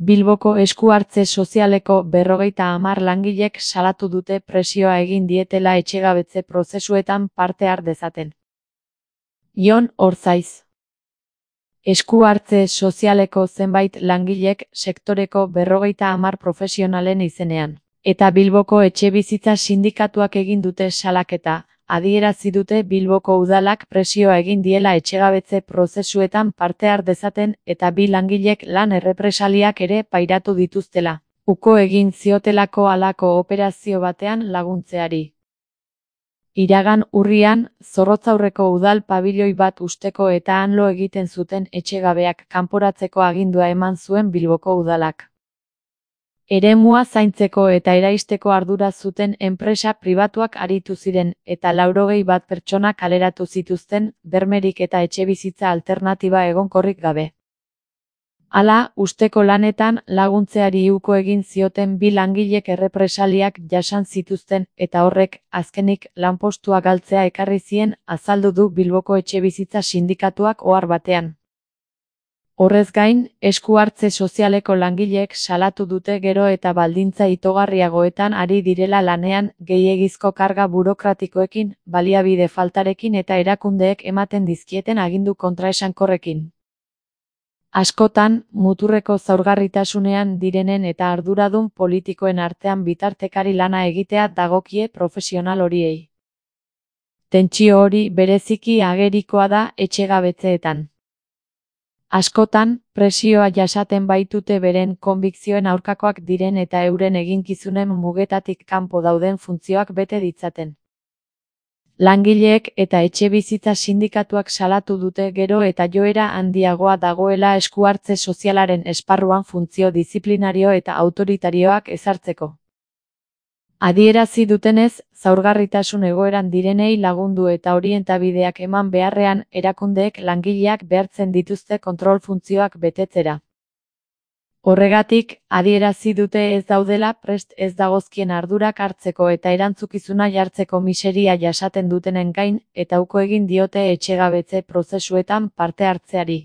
Bilboko esku-hartze sozialeko 50 langilek salatu dute presioa egin dietela etxegabetze prozesuetan parte har dezaten. Jon Orzaiz. Esku-hartze sozialeko zenbait langilek sektoreko 50 profesionalen izenean, eta Bilboko etxebizitza sindikatuak egin dute salaketa, adierazi dute Bilboko udalak presioa egin diela etxegabetze prozesuetan parte har dezaten eta 2 langilek lan errepresaliak ere pairatu dituztela, uko egin ziotelako halako operazio batean laguntzeari. Iragan urrian, Zorrotzaurreko udal pabiloi bat husteko eta han lo egiten zuten etxegabeak kanporatzeko agindua eman zuen Bilboko udalak. Eremua zaintzeko eta eraisteko ardura zuten enpresa pribatuak aritu ziren eta 81 pertsona kaleratu zituzten, bermerik eta etxebizitza alternatiba egonkorrik gabe. Hala, usteko lanetan laguntzeari uko egin zioten 2 langilek errepresaliak jasan zituzten eta horrek, azkenik, lanpostua galtzea ekarri zien, azaldu du Bilboko etxebizitza sindikatuak ohar batean. Horrez gain, esku-hartze sozialeko langileek salatu dute gero eta baldintza itogarriagoetan ari direla lanean, gehiegizko karga burokratikoekin, baliabide faltarekin eta erakundeek ematen dizkieten agindu kontraesankorrekin. Askotan, muturreko zaurgarritasunean direnen eta arduradun politikoen artean bitartekari lana egitea dagokie profesional horiei. Tentsio hori bereziki agerikoa da etxegabetzeetan. Askotan, presioa jasaten baitute beren konbikzioen aurkakoak diren eta euren eginkizunen mugetatik kanpo dauden funtzioak bete ditzaten. Langileek eta etxebizitza sindikatuak salatu dute gero eta joera handiagoa dagoela esku-hartze sozialaren esparruan funtzio diziplinario eta autoritarioak ezartzeko. Adierazi dutenez, zaurgarritasun egoeran direnei lagundu eta orientabideak eman beharrean, erakundeek langileak behartzen dituzte kontrol funtzioak betetzera. Horregatik, adierazi dute ez daudela prest ez dagozkien ardurak hartzeko eta erantzukizuna jartzeko miseria jasaten dutenen gain, eta uko egin diote etxegabetze prozesuetan parte hartzeari.